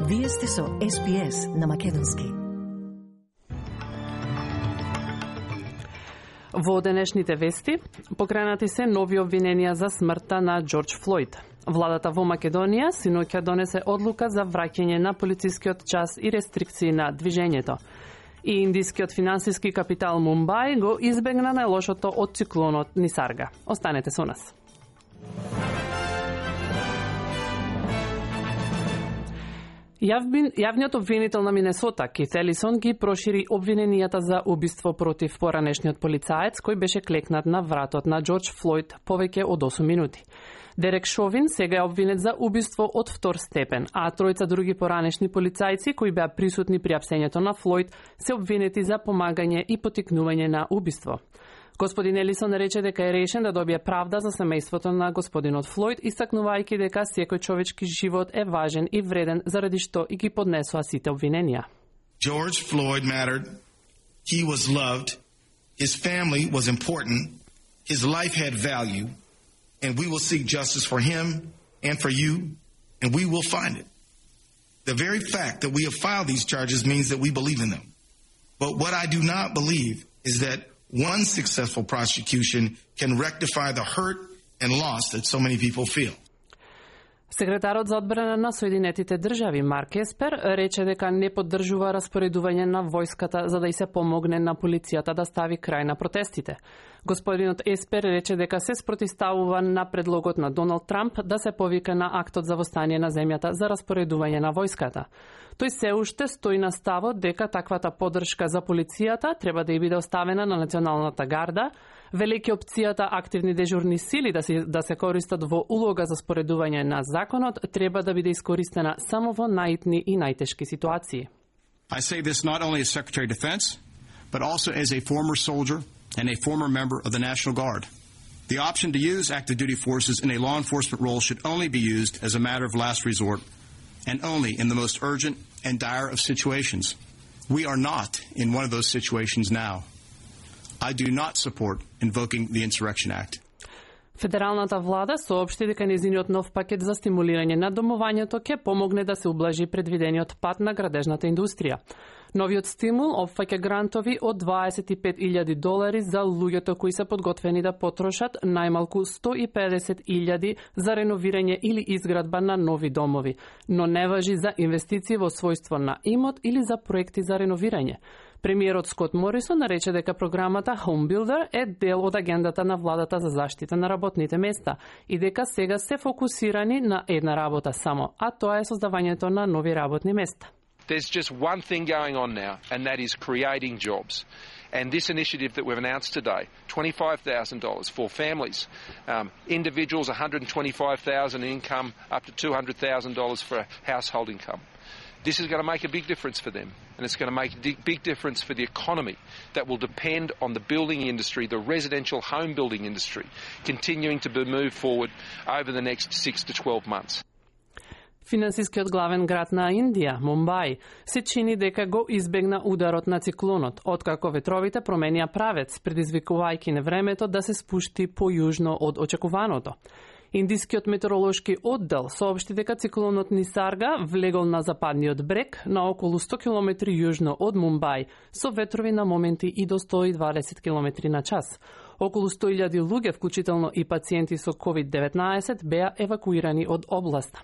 Вие сте со СПС на Македонски. Во денешните вести, покренати се нови обвиненија за смртта на Џорџ Флојд. Владата во Македонија синоќа донесе одлука за враќање на полицискиот час и рестрикции на движењето. И индискиот финансиски капитал Мумбај го избегна најлошото од циклонот Нисарга. Останете со нас. Јавниот обвинител на Минесота, Кит Елисон, ги прошири обвиненијата за убиство против поранешниот полицаец кој беше клекнат на вратот на Џорџ Флојд повеќе од 8 минути. Дерек Шовин сега е обвинет за убиство од втор степен, а тројца други поранешни полицајци кои беа присутни при апсењето на Флојд се обвинети за помагање и поттикнување на убиство. Господин Елисон рече дека е решен да добие правда за семејството на господинот Флојд, истакнувајќи дека секој човечки живот е важен и вреден заради што и ги поднесоа сите обвиненија. George Floyd mattered. He was loved. His family was important. His life had value. And we will seek justice for him and for you, and we will find it. The very fact that we have filed these charges means that we believe in them. But what I do not believe is that one successful prosecution can rectify the hurt and loss that so many people feel. Секретарот за одбрана на Соединетите држави Марк Еспер рече дека не поддржува распоредување на војската за да и се помогне на полицијата да стави крај на протестите. Господинот Еспер рече дека се спротивставува на предлогот на Доналд Трамп да се повика на актот за востание на земјата за распоредување на војската. Тој се уште стои на ставот дека таквата поддршка за полицијата треба да ја биде оставена на Националната гарда, велејќи опцијата активни дежурни сили да се користат во улога за споредување на законот треба да биде искористена само во најитни и најтешки ситуации. I say this not only as Secretary of Defense, but also as a former soldier and a former member of the National Guard. The option to use active duty forces in a law enforcement role should only be used as a matter of last resort and only in the most urgent and dire of situations. We are not in one of those situations now. I do not support invoking the Insurrection Act. Федералната влада соопшти дека нејзиниот нов пакет за стимулирање на домувањето ќе помогне да се ублажи предвидениот пат на градежната индустрија. Новиот стимул опфаќа грантови од $25,000 за луѓето кои се подготвени да потрошат најмалку $150,000 за реновирање или изградба на нови домови, но не важи за инвестиции во својство на имот или за проекти за реновирање. Премиерот Скот Морисон рече дека програмата Home Builder е дел од агендата на владата за заштита на работните места и дека сега се фокусирани на една работа само, а тоа е создавањето на нови работни места. There's just one thing going on now, and that is creating jobs. And this initiative that we've announced today, $25,000 for families, individuals $125,000 income, up to $200,000 for household income. This is going to make a big difference for them, and it's going to make a big difference for the economy that will depend on the building industry, the residential home building industry, continuing to move forward over the next 6 to 12 months. Финансискиот главен град на Индија, Мумбај, се чини дека го избегна ударот на циклонот, откако ветровите променија правец, предизвикувајќи невремето да се спушти појужно од очекуваното. Индискиот метеоролошки оддел соопшти дека циклонот Нисарга влегол на западниот брег на околу 100 км јужно од Мумбај, со ветрови на моменти и до 120 км на час. Околу 100,000 луѓе, вклучително и пациенти со COVID-19, беа евакуирани од областа.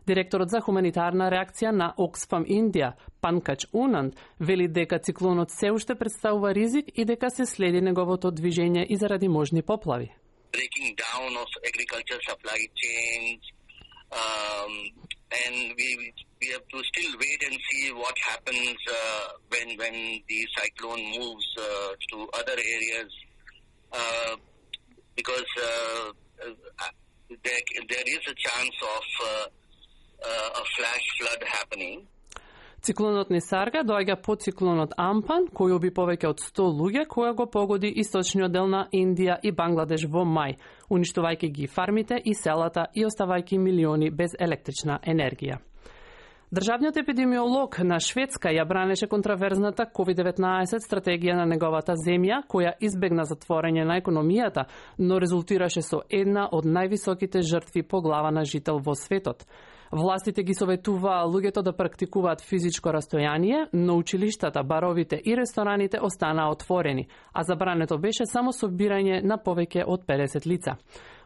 Директорот за хуманитарна реакција на Оксфам Индија, Панкач Унанд, вели дека циклонот се уште представува ризик и дека се следи неговото движење и заради можни поплави. Breaking down of agriculture supply chains, and we have to still wait and see what happens when the cyclone moves to other areas, because there is a chance of a flash flood happening. Циклонот Нисарга доаѓа по циклонот Ампан, кој уби повеќе од 100 луѓе, која го погоди источниот дел на Индија и Бангладеш во мај, уништувајќи ги фармите и селата и оставајќи милиони без електрична енергија. Државниот епидемиолог на Шведска ја бранеше контраверзната COVID-19 стратегија на неговата земја, која избегна затворање на економијата, но резултираше со една од највисоките жртви по глава на жител во светот. Властите ги советуваа луѓето да практикуваат физичко растојание, но училиштата, баровите и рестораните останаа отворени, а забрането беше само собирање на повеќе од 50 лица.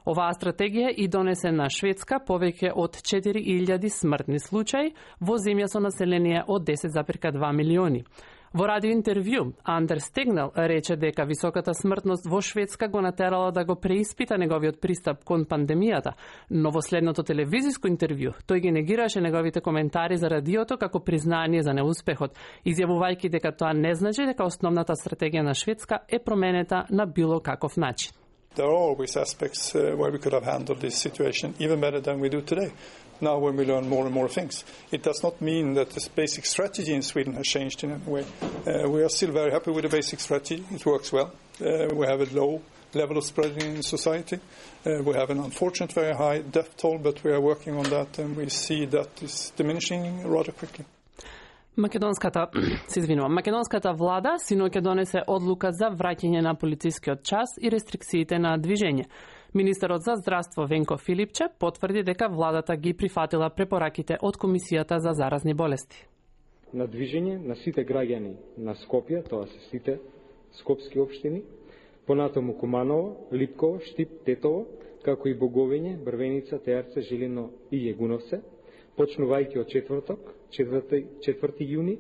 Оваа стратегија и донесе на Шведска повеќе од 4000 смртни случаи во земја со население од 10,2 милиони. Во радио интервју, Андерс Тегнел рече дека високата смртност во Шведска го натерала да го преиспита неговиот пристап кон пандемијата, но во следното телевизиско интервју тој ги негираше неговите коментари за радиото како признание за неуспехот, изјавувајќи дека тоа не значи дека основната стратегија на Шведска е променета на било каков начин. There are always aspects where we could have handled this situation even better than we do today. Now when we learn more and more things. It does not mean that this basic strategy in Sweden has changed in any way. We are still very happy with the basic strategy. It works well. We have a low level of spreading in society. We have an unfortunate very high death toll, but we are working on that and we see that is diminishing rather quickly. Македонската влада синоќа донесе одлука за враќање на полицискиот час и рестрикциите на движење. Министерот за здравство Венко Филипче потврди дека владата ги прифатила препораките од Комисијата за заразни болести. На движење на сите граѓани на Скопје, тоа се сите скопски општини, понатаму Куманово, Липково, Штип, Тетово, како и Боговиње, Брвеница, Теарце, Жилино и Јегуновце, почнувајќи од четврток, 4 јуни,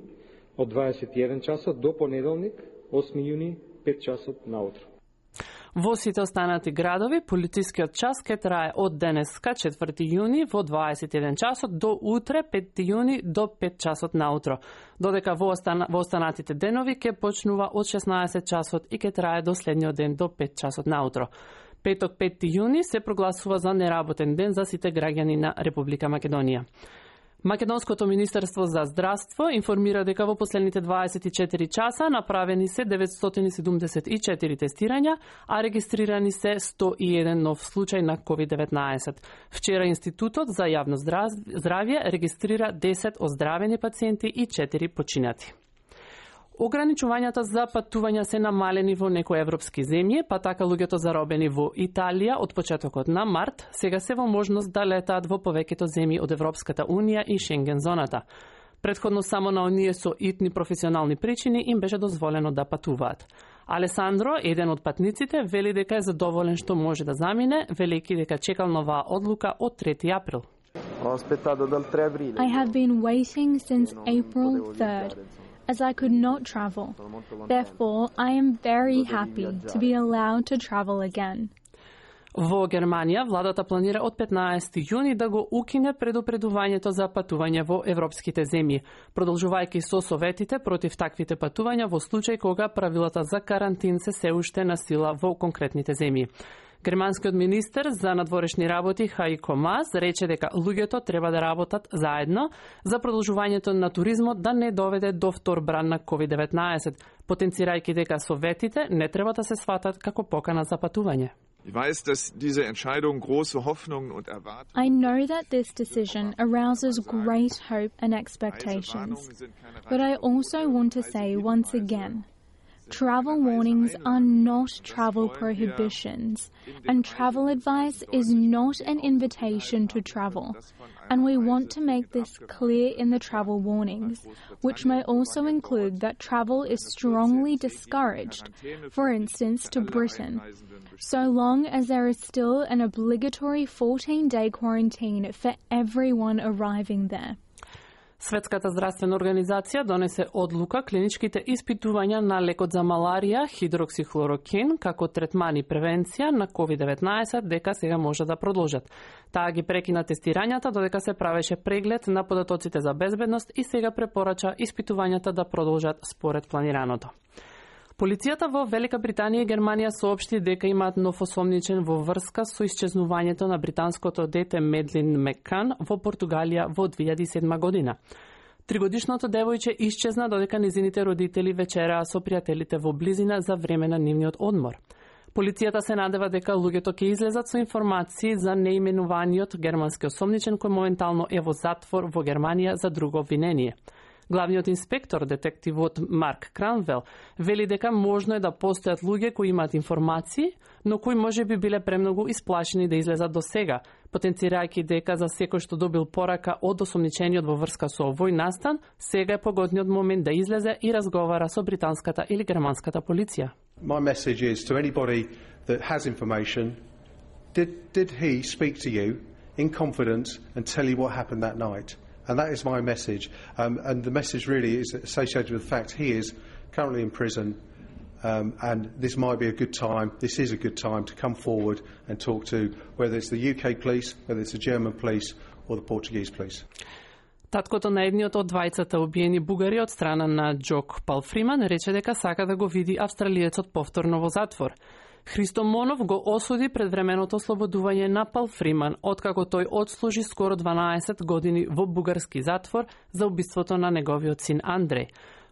од 21 часот до понеделник, 8 јуни, 5 часот наутро. Во сите останати градови, полицискиот час ке трае од денеска, 4 јуни, во 21 часот до утре, 5 јуни, до 5 часот наутро. Додека во останатите денови ке почнува од 16 часот и ке трае до следниот ден до 5 часот наутро. Петок 5 јуни се прогласува за неработен ден за сите граѓани на Република Македонија. Македонското Министерство за здравство информира дека во последните 24 часа направени се 974 тестирања, а регистрирани се 101 нов случај на COVID-19. Вчера Институтот за јавно здравје регистрира 10 оздравени пациенти и 4 починати. Ограничувањата за патувања се намалени во некои европски земји, па така луѓето заробени во Италија од почетокот на март сега се во можност да летаат во повеќето земји од Европската унија и Шенген зоната. Претходно само на оние со итни професионални причини им беше дозволено да патуваат. Алесандро, еден од патниците, вели дека е задоволен што може да замине, велејќи дека чекал новаа одлука од 3 април. I have been waiting since April 3rd. As I could not travel. Therefore, I am very happy to be allowed to travel again. Во Германија, владата планира од 15 јуни да го укине предупредувањето за патување во европските земји, продолжувајќи со советите против таквите патувања во случај кога правилата за карантин се уште на сила во конкретните земји. Германскиот министер за надворешни работи Хајко Мас рече дека луѓето треба да работат заедно за продолжувањето на туризмот да не доведе до втор бран на COVID-19, потенцирајќи дека советите не треба да се сватат како покана за патување. I know that this decision arouses great hope and expectations, but I also want to say once again, travel warnings are not travel prohibitions, and travel advice is not an invitation to travel. And we want to make this clear in the travel warnings, which may also include that travel is strongly discouraged, for instance, to Britain, so long as there is still an obligatory 14-day quarantine for everyone arriving there. Светската здравствена организација донесе одлука клиничките испитувања на лекот за маларија хидроксихлорокен како третман и превенција на COVID-19 дека сега може да продолжат. Таа ги прекина тестирањата додека се правеше преглед на податоците за безбедност и сега препорача испитувањата да продолжат според планираното. Полицијата во Велика Британија и Германија соопшти дека имаат нов осомничен во врска со исчезнувањето на британското дете Медлин Меккан во Португалија во 2007 година. Тригодишното девојче исчезна додека низините родители вечераа со пријателите во близина за време на нивниот одмор. Полицијата се надева дека луѓето ќе излезат со информации за неименуваниот германски осомничен кој моментално е во затвор во Германија за друго обвинение. Главниот инспектор, детективот Марк Кранвел, вели дека можно е да постојат луѓе кои имаат информации, но кои може би биле премногу исплашени да излезат до сега, потенцирајќи дека за секој што добил порака од осомничениот во врска со овој настан, сега е погодниот момент да излезе и разговара со британската или германската полиција. My message is to anybody that has information, did he speak to you in confidence and tell you what happened that night? And that is my message. And the message really is associated with the fact he is currently in prison, and this might be a good time, this is a good time to come forward and talk to whether it's the UK police, whether it's the German police or the Portuguese police. Таткото на едниот од двајцата убиени бугари од страна на Джок Палфриман рече дека сака да го види австралиецот повторно во затвор. Христо Монов го осуди предвременото ослободување на Палфриман, откако тој одслужи скоро 12 години во бугарски затвор за убиството на неговиот син Андреј.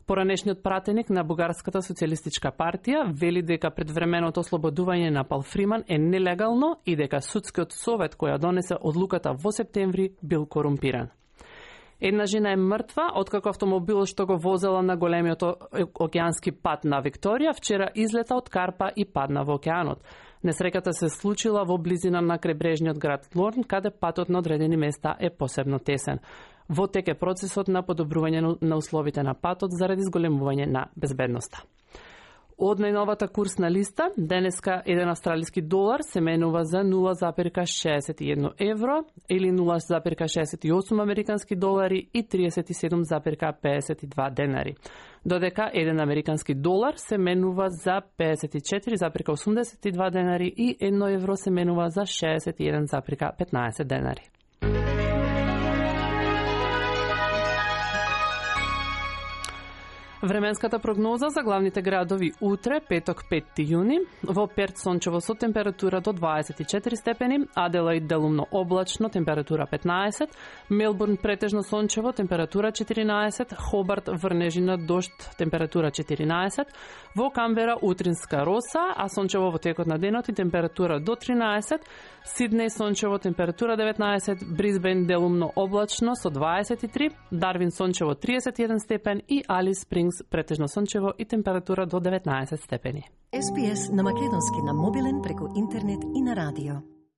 Поранешниот пратеник на Бугарската социјалистичка партија вели дека предвременото ослободување на Палфриман е нелегално и дека судскиот совет која донесе одлуката во септември бил корумпиран. Една жена е мртва, откако автомобилот што го возела на големиот океански пат на Викторија вчера излета од карпа и падна во океанот. Несреќата се случила во близина на крајбрежниот град Лорн, каде патот на одредени места е посебно тесен. Во тек е процесот на подобрување на условите на патот заради зголемување на безбедноста. Од најновата курсна листа, денеска еден австралиски долар се менува за 0,61 евро или 0,68 американски долари и 37,52 денари. Додека еден американски долар се менува за 54,82 денари и 1 евро се менува за 61,15 денари. Временската прогноза за главните градови утре, петок 5 јуни, во Перт сончево со температура до 24 степени, Аделаид делумно облачно, температура 15, Мелбурн претежно сончево, температура 14, Хобарт врнежина дожд, температура 14, во Камбера утринска роса, а сончево во текот на денот и температура до 13, Сиднеј сончево, температура 19, Брисбен делумно облачно со 23, Дарвин сончево 31 степен и Алис Спрингс претежно сончево и температура до 19 степени. SPS на македонски на мобилен преку интернет и на радио.